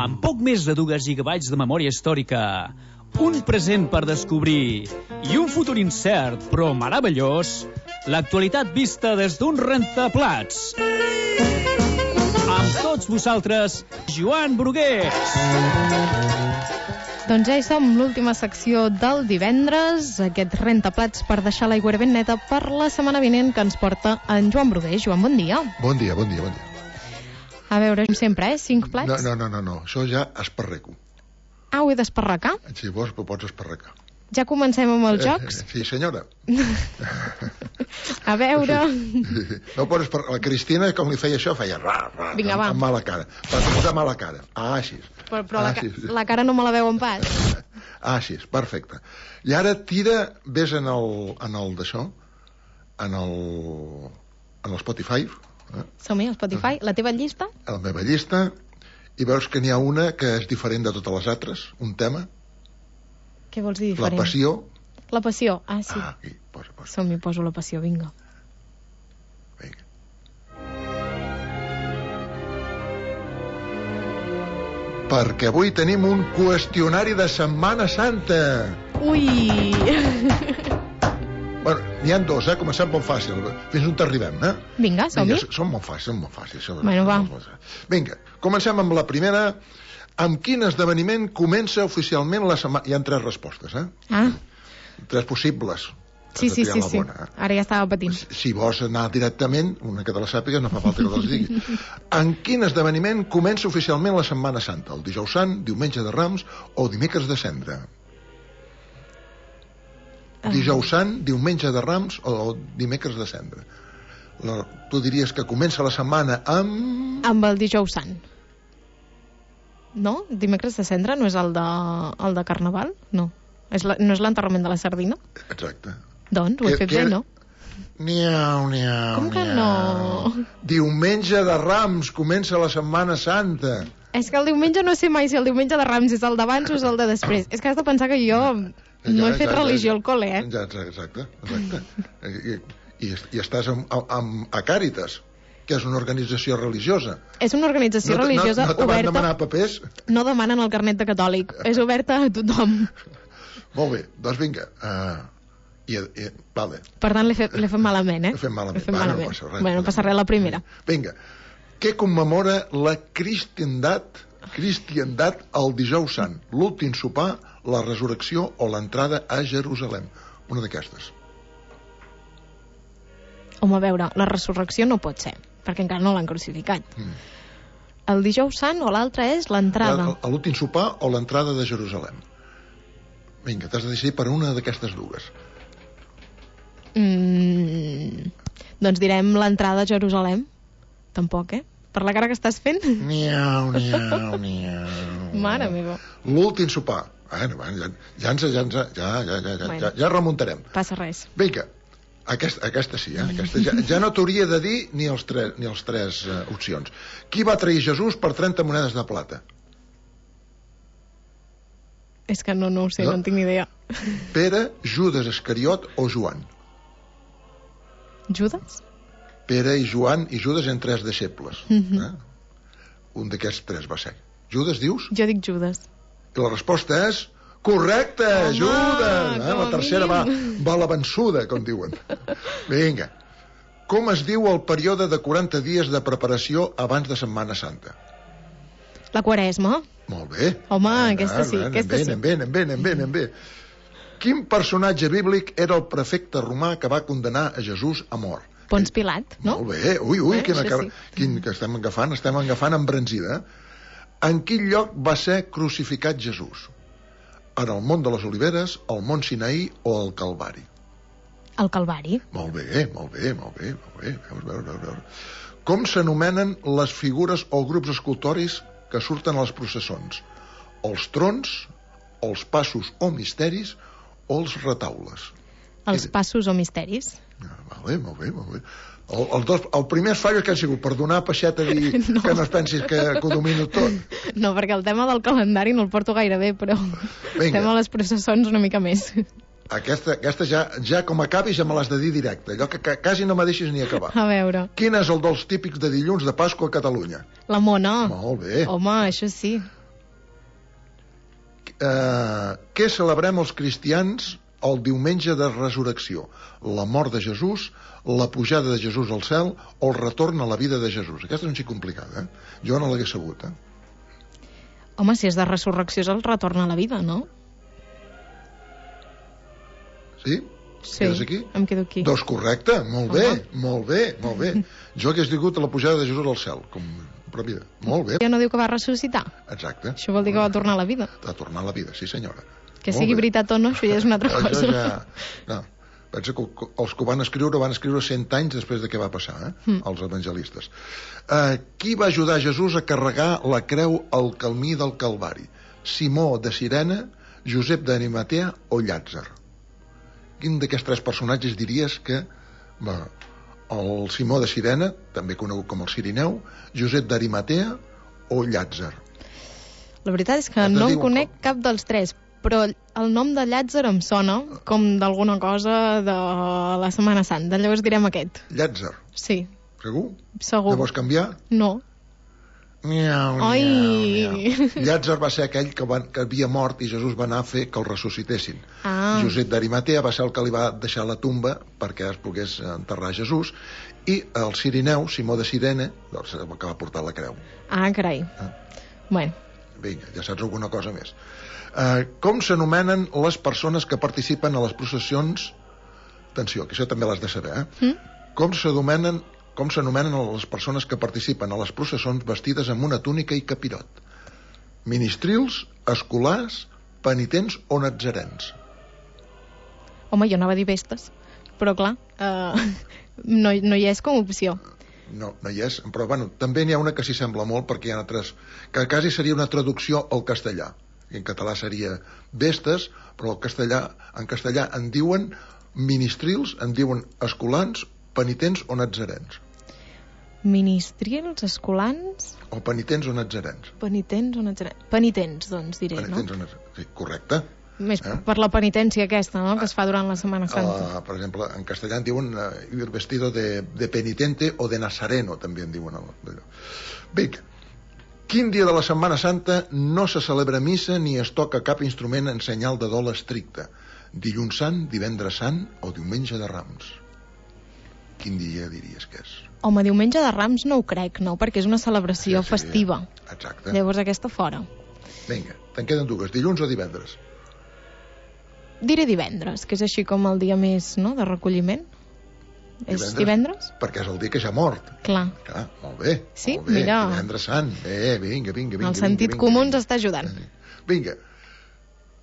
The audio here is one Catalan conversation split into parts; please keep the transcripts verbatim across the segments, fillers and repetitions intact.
Amb poc més de dos gigabytes de memòria històrica, un present per descobrir i un futur incert però meravellós, l'actualitat vista des d'un rentaplats. Amb tots vosaltres, Joan Brugués. Doncs ja hi som, l'última secció del divendres, aquest rentaplats per deixar l'aigua ben neta per la setmana vinent que ens porta en Joan Brugués. Joan, bon dia. Bon dia, bon dia, bon dia. A veure, sempre, eh? Cinc plats? No, no, no, no, no. Això ja esparreco. Ah, ho he d'esparracar? Si vols, ho pots esparracar. Ja comencem amb els eh, jocs? Sí, senyora. A veure... No pots esparracar. La Cristina, com li feia això, feia ra, ra, Vinga, amb, va. amb mala cara. Per posar mala cara. Ah, així. Però, però ah, la, ca sí. la cara no me la veuen pas. Ah, així, perfecte. I ara tira, ves en el, en el d'això, en el, en el Spotify. Eh? Som-hi, al Spotify. La teva llista? A la meva llista. I veus que n'hi ha una que és diferent de totes les altres, un tema. Què vols dir diferent? La passió. La passió, ah, sí. Ah, aquí, posa, posa. Som-hi, poso la passió, vinga. Vinga. Perquè avui tenim un qüestionari de Setmana Santa. Ui! Bueno, n'hi ha dos, eh? Comencem molt fàcil. Fins on t'arribem, eh? Vinga, som-hi. Són molt fàcils, són molt fàcils. Bueno, va. Vinga, comencem amb la primera. Amb quin esdeveniment comença oficialment la setmana... Hi ha tres respostes, eh? Ah. Tres possibles. Sí, sí, sí, sí. Bona, eh? Ara ja estava patint. Si, si vols anar directament, una que te la sàpigues, no fa falta que te les digui. En quin esdeveniment comença oficialment la Setmana Santa? El dijous sant, diumenge de Rams o dimecres de Cendra? Dijous sant, diumenge de Rams o dimecres de Cendra? La, tu diries que comença la setmana amb... Amb el dijous sant. No? Dimecres de Cendra no és el de, el de Carnaval? No. És la, no és l'enterrament de la sardina? Exacte. Doncs ho he que, fet que... bé, no? Niau, niau, Com que niau. no? Diumenge de Rams comença la Setmana Santa. És que el diumenge no sé mai si el diumenge de Rams és el d'abans o és el de després. És que has de pensar que jo no ja, he fet ja, religió ja, al col·le, eh? Ja, exacte, exacte. I, i, I estàs amb, amb, a Càritas, que és una organització religiosa. És una organització no, religiosa no, no te van oberta... demanar papers? No demanen el carnet de catòlic. És oberta a tothom. Molt bé, doncs vinga. Uh, i, i, vale. Per tant, l'he fet, fet malament, eh? L'he fet malament. L'he fet Va, malament. no passa res. Bueno, no passa res, la primera. Vinga. Què commemora la cristiandat, cristiandat el dijous sant? L'últim sopar, la resurrecció o l'entrada a Jerusalem? Una d'aquestes. Home, a veure, la resurrecció no pot ser, perquè encara no l'han crucificat. Mm. El dijous sant o l'altre és l'entrada. L'últim sopar o l'entrada de Jerusalem? Vinga, t'has de decidir per una d'aquestes dues. Mm, doncs direm l'entrada a Jerusalem. Tampoc, eh? Per la cara que estàs fent? Niau, niau, niau. Mare meva. L'últim sopar. Bueno, ja, ja, ens, ja, ja, ja, ja, ja, bueno, ja, ja remuntarem. Passa res. Vinga. Aquesta, aquesta sí, eh? Aquesta ja, ja no t'hauria de dir ni els tres, ni els tres uh, opcions. Qui va trair Jesús per trenta monedes de plata? És que no, no ho sé, no, no en tinc ni idea. Pere, Judas Iscariot o Joan? Judas? Pere i Joan i Judas en tres deixebles. Mm-hmm. eh? Un d'aquests tres va ser. Judas, dius? Jo dic Judas. I la resposta és... Correcte, home, Judas! Eh? La tercera va, va la vençuda, com diuen. Vinga. Com es diu el període de quaranta dies de preparació abans de Setmana Santa? La Quaresma. Molt bé. Home, ah, aquesta sí, ah, aquesta ben, sí. Ben, ben, ben, ben, ben. Quin personatge bíblic era el prefecte romà que va condenar a Jesús a mort? Pons Pilat, no? Molt bé. Ui, ui, eh, quina, sí. quin, que estem agafant, estem agafant embranzida. En quin lloc va ser crucificat Jesús? En el Mont de les Oliveres, el Mont Sinaí o el Calvari? El Calvari. Molt bé, molt bé, molt bé, molt bé. Veus, veus, veus, veus. Com s'anomenen les figures o grups escultòrics que surten a les processons? Els trons, els passos o misteris o els retaules? Els passos o misteris. Ah, vale, molt bé, molt bé. El, el, dos, el primer fallo que han sigut per donar peixet a dir no. que no es pensis que, que ho domino tot. No, perquè el tema del calendari no el porto gaire bé, però el tema de les processons una mica més. Aquesta, aquesta ja, ja com acabis ja me l'has de dir directe, allò que, que quasi no me deixis ni acabar. A veure. Quin és el dels típics de dilluns de Pasqua a Catalunya? La mona. Molt bé. Home, això sí. Eh, què celebrem els cristians el diumenge de resurrecció? La mort de Jesús, la pujada de Jesús al cel o el retorn a la vida de Jesús? Aquesta és un xic complicada, eh? Jo no l'hagués sabut, eh? Home, si és de resurrecció és el retorn a la vida, no? Sí? Sí, Quedes aquí? em quedo aquí. Doncs correcte, molt bé, Home. molt bé, molt bé. Jo hagués digut la pujada de Jesús al cel, com però mira, molt bé. Ja no diu que va ressuscitar. Exacte. Això vol dir que va tornar a la vida. Va tornar a la vida, sí senyora. Que Molt sigui bé. veritat o no, això ja és una altra cosa. Això ja... No. Pensa que els que ho van escriure van escriure cent anys després de què va passar, eh? Mm. Els evangelistes. Uh, qui va ajudar Jesús a carregar la creu al camí del Calvari? Simó de Cirene, Josep d'Arimatea o Llàtzer? Quin d'aquests tres personatges diries que... Va, el Simó de Cirene, també conegut com el Cirineu, Josep d'Arimatea o Llàtzer? La veritat és que Et no en diuen conec com. cap dels tres, però el nom de Llàtzer em sona com d'alguna cosa de la Setmana Santa. Llavors direm aquest. Llàtzer, Sí, segur? segur. Ja vols canviar? No. Miau, Ai. miau, miau. Llàtzer va ser aquell que, van, que havia mort i Jesús va anar a fer que el ressuscitessin. Ah. Josep d'Arimatea va ser el que li va deixar la tomba perquè es pogués enterrar Jesús, i el Cirineu, Simó de Cirene, doncs, el que va portar la creu. Ah, carai. Ah. Bueno, Vinga, ja saps alguna cosa més. Uh, com s'anomenen les persones que participen a les processions? Atenció, que això també l'has de saber, eh? Mm? Com s'anomenen com s'anomenen les persones que participen a les processons vestides amb una túnica i capirot? Ministrils, escolars, penitents o natzarens? home, jo anava a dir vestes, però clar, eh, no, no hi és com a opció. No, no hi és, però bueno, també n'hi ha una que s'hi sembla molt perquè hi ha altres, que quasi seria una traducció al castellà. I en català seria vestes, però el castellà, en castellà en diuen ministrils, en diuen escolans, penitents o natzarens. Ministrils, escolans, O penitents o natzarens. penitents o natzarens? Penitents, doncs, diré, Penitents no? o natzarens. Sí, correcte. Més Eh? per la penitència aquesta, no?, que es fa durant la Setmana Santa. Uh, per exemple, en castellà en diuen uh, ir vestido de, de penitente o de nazareno, també en diuen allò. Vinga, quin dia de la Setmana Santa no se celebra missa ni es toca cap instrument en senyal de dol estricte? Dilluns Sant, divendres Sant o diumenge de Rams? Quin dia diries que és? Home, diumenge de Rams no ho crec, no?, perquè és una celebració Sí, sí, festiva. Exacte. Llavors aquesta fora. Vinga, te'n queden dues, dilluns o divendres? Diré divendres, que és així com el dia més, no?, de recolliment. És divendres? Perquè és el dia que ja ha mort. Clar. Clar, molt bé. Sí, molt bé. mira. Divendres Sant. Bé, vinga, vinga, vinga. El sentit vinga, comú vinga. ens està ajudant. Vinga.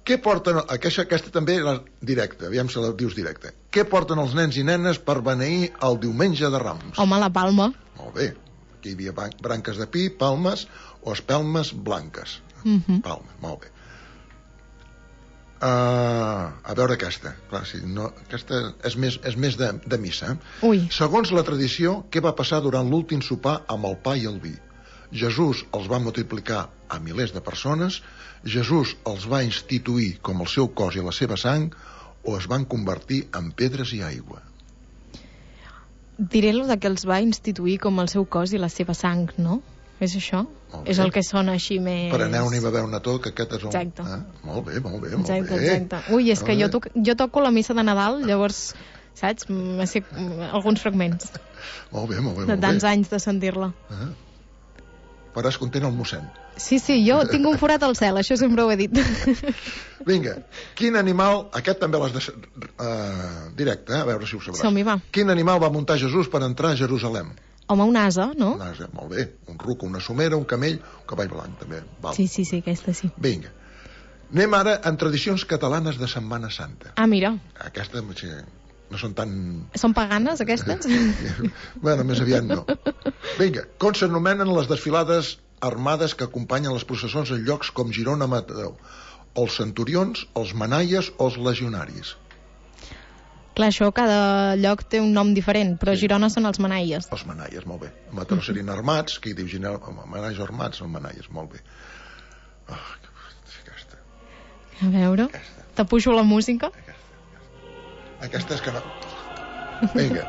Què porten... Aquesta, aquesta també era directa, aviam si la dius directa. Què porten els nens i nenes per beneir el diumenge de Rams? Home, la palma. Molt bé. Aquí hi havia ban- branques de pi, palmes o espelmes blanques. Mhm. Palmes, molt bé. Uh, a veure aquesta. Clar, si no, aquesta és més, és més de, de missa. Eh? Ui. Segons la tradició, què va passar durant l'últim sopar amb el pa i el vi? Jesús els va multiplicar a milers de persones, Jesús els va instituir com el seu cos i la seva sang, o es van convertir en pedres i aigua? Diré lo de que els va instituir com el seu cos i la seva sang, no? És això? Molt bé. És el que sona així més... Per aneu-n'hi a beure una tot, que aquest és el... Exacte. Eh? Molt bé, molt bé, molt Exacte, bé. exacte. Ui, és que jo, toc, jo toco la missa de Nadal, llavors, saps? Me sé alguns fragments Molt bé, molt bé, de molt tants bé. anys de sentir-la. Eh? Faràs content el mossèn. Sí, sí, jo tinc un forat al cel, això sempre ho he dit. Vinga, quin animal... Aquest també l'has de... Uh, directe, eh? A veure si ho sabràs. Som-hi, va. Quin animal va muntar Jesús per entrar a Jerusalem? Home, un ase, no? Un ase, molt bé. Un ruc, una somera, un camell, un cavall blanc, també. Val. Sí, sí, sí, aquesta sí. Vinga. Anem ara en tradicions catalanes de Setmana Santa. Ah, mira, Aquestes sí, no són tan... són paganes, aquestes? bueno, més aviat no. Vinga, com s'anomenen les desfilades armades que acompanyen les processons en llocs com Girona, Mataró? Els centurions, els manaies o els legionaris? Clar, això cada lloc té un nom diferent, però Sí. Girona són els manaies. Els manaies, molt bé. A Mataró serien armats, que hi diu Girona, manaies armats, els manaies, molt bé. Oh, aquesta, A veure, aquesta, te pujo la música. aquesta és que no... Vinga,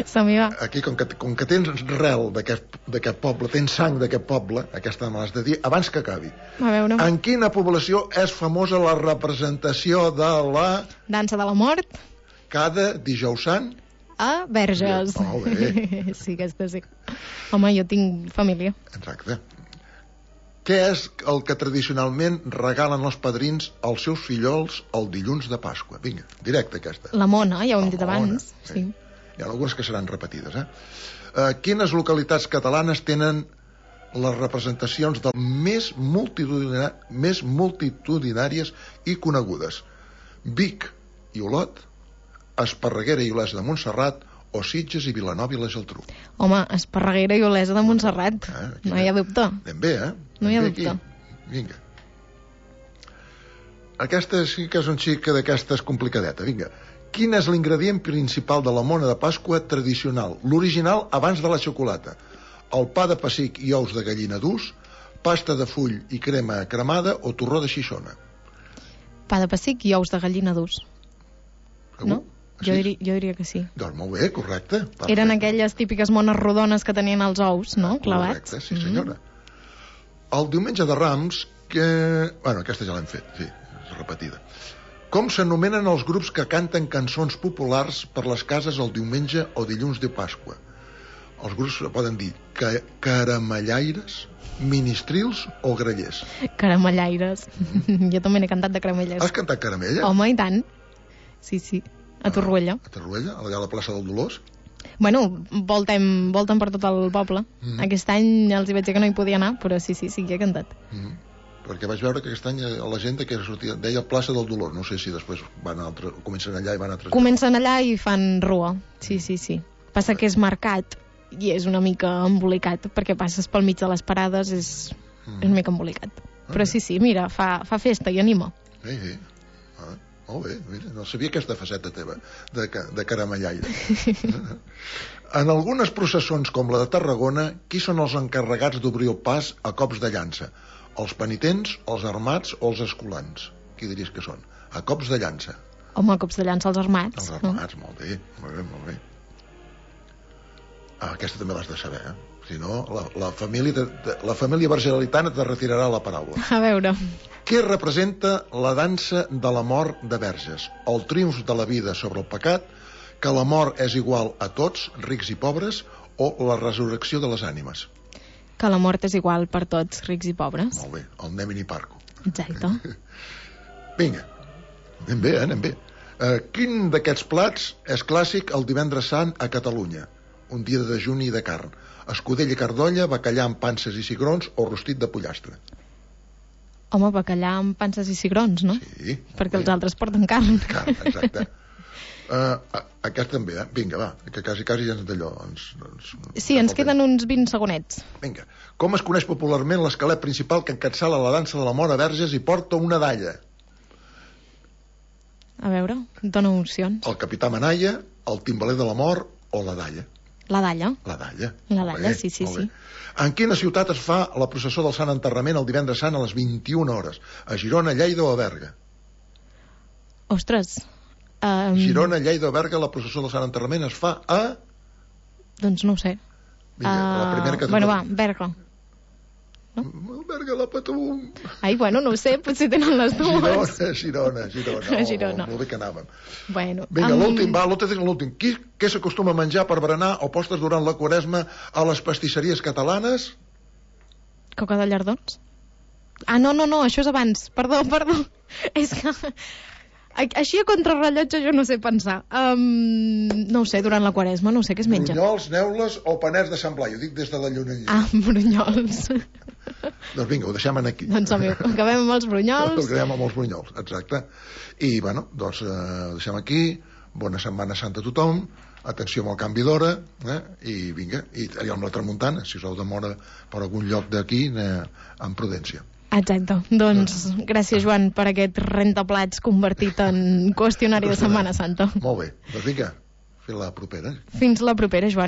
Som-hi, va. Aquí, com que, com que tens rel d'aquest poble, tens sang d'aquest poble, aquesta me l'has de dir, abans que acabi. A veure. En quina població és famosa la representació de la... Dansa de la mort. Cada dijous sant? A Verges. Molt bé. Sí, aquesta sí. Home, jo tinc família. Exacte. Què és el que tradicionalment regalen els padrins als seus fillols el dilluns de Pasqua? Vinga, directe aquesta. La mona, ja ho hem La dit mona, abans. sí. Sí. Hi ha algunes que seran repetides, eh? Uh, quines localitats catalanes tenen les representacions del més, multitudina... més multitudinàries i conegudes? Vic i Olot, Esparreguera i Olesa de Montserrat o Sitges i Vilanova i la Geltrú. Home, Esparreguera i Olesa de Montserrat. Eh, No hi ha dubte. Anem bé, eh? No hi ha Anem bé dubte. aquí. Vinga. Aquesta sí que és un xic d'aquestes complicadeta. Vinga. Quin és l'ingredient principal de la mona de Pasqua tradicional? L'original abans de la xocolata. El pa de pessic i ous de gallina durs, pasta de full i crema cremada o torró de xixona. Pa de pessic i ous de gallina durs. Segur? No? Jo, Així? diri, jo diria que sí. Doncs molt bé, correcte. Perfecte. Eren aquelles típiques mones rodones que tenien els ous, no? Clavats. Correcte, sí senyora. Mm. El diumenge de Rams, que... Bueno, aquesta ja l'hem fet, sí, és repetida. Com s'anomenen els grups que canten cançons populars per les cases el diumenge o dilluns de Pasqua? Els grups poden dir ca caramellaires, ministrils o grallers. Caramellaires. Jo també n'he cantat de caramellaires. Has cantat caramella? Home, i tant. Sí, sí. A Torroella. A Torroella, allà a la plaça del Dolors? Bueno, voltem, voltem per tot el poble. Mm. Aquest any els hi vaig dir que no hi podia anar, però sí, sí, sí que he cantat. Mm. Perquè vaig veure que aquest any la gent que sortia, deia plaça del Dolor. No sé si després van a altre, comencen allà i van a altres... Comencen allà i fan rua. Sí, sí, sí. Passa que és mercat i és una mica embolicat, perquè passes pel mig de les parades, és, mm. és una mica embolicat. Però sí, sí, mira, fa, fa festa i anima. Sí, sí. Ah, molt bé, mira, no sabia aquesta faceta teva de, de caramellaire. En algunes processons com la de Tarragona, qui són els encarregats d'obrir el pas a cops de llança? Els penitents, els armats o els escolans? Qui diries que són? A cops de llança. Home, cops de llança als armats. Els armats, no? molt bé, molt bé, molt bé. Ah, aquesta també l'has de saber, eh? Si no, la, la família, de, de, la família vergelitana te retirarà la paraula. A veure... Què representa la dansa de la mort de Verges? El triomf de la vida sobre el pecat, que la mort és igual a tots, rics i pobres, o la resurrecció de les ànimes? Que la mort és igual per tots, rics i pobres. Molt bé, el Nemini Parco. Exacte. Vinga, anem bé, eh? anem bé. Uh, quin d'aquests plats és clàssic el divendres sant a Catalunya? Un dia de dejuni de carn. Escudella i cardolla, bacallà amb panses i cigrons o rostit de pollastre? Home, bacallà amb panses i cigrons, no? Sí. Perquè els altres porten carn. Carn, exacte. uh, aquest també, eh? Vinga, va, que quasi, quasi ja ens d'allò. Ens, ens, sí, ens queden uns vint segonets. Vinga. Com es coneix popularment l'esquelet principal que encapçala la dansa de la mort a Verges i porta una dalla? A veure, dona opcions. El capità Manalla, el timbaler de la mort o la dalla? La dalla. La dalla. La dalla, bé, sí, sí, sí. En quina ciutat es fa la processó del Sant Enterrament el divendres sant a les vint-i-una hores? A Girona, Lleida o a Berga? Ostres. Um... Girona, Lleida o Berga, la processó del Sant Enterrament es fa a... Doncs no ho sé. Vinga, uh... la primera que... Bueno, va, Berga. No? Berga la patum. Ai, bueno, no ho sé, potser tenen les dues. Girona, Girona, Girona. Oh, Girona. Molt bé que anàvem. Bueno, Vinga, amb... l'últim, va, l'últim. Qui, què s'acostuma a menjar per berenar o postres durant la Quaresma a les pastisseries catalanes? Coca de llardons? Ah, no, no, no, això és abans. Perdó, perdó. És que... Així a contrarrellotge jo no sé pensar. Um, no ho sé, durant la Quaresma, no sé què es menja. Brunyols, neules o panets de Sant Blai? Ho dic des de la llunanya. Ah, brunyols. Doncs vinga, ho deixem aquí. Doncs home, acabem amb els brunyols. Acabem amb els brunyols, exacte. I, bueno, doncs eh, ho deixem aquí. Bona Setmana Santa a tothom. Atenció amb el canvi d'hora. Eh? I vinga, i allà amb la tramuntana. Si us heu de moure per algun lloc d'aquí, eh, amb prudència. Exacte. Doncs gràcies, Joan, per aquest rentaplats convertit en qüestionari de Setmana Santa. Molt bé. Doncs vinga, fins la propera. Fins la propera, Joan.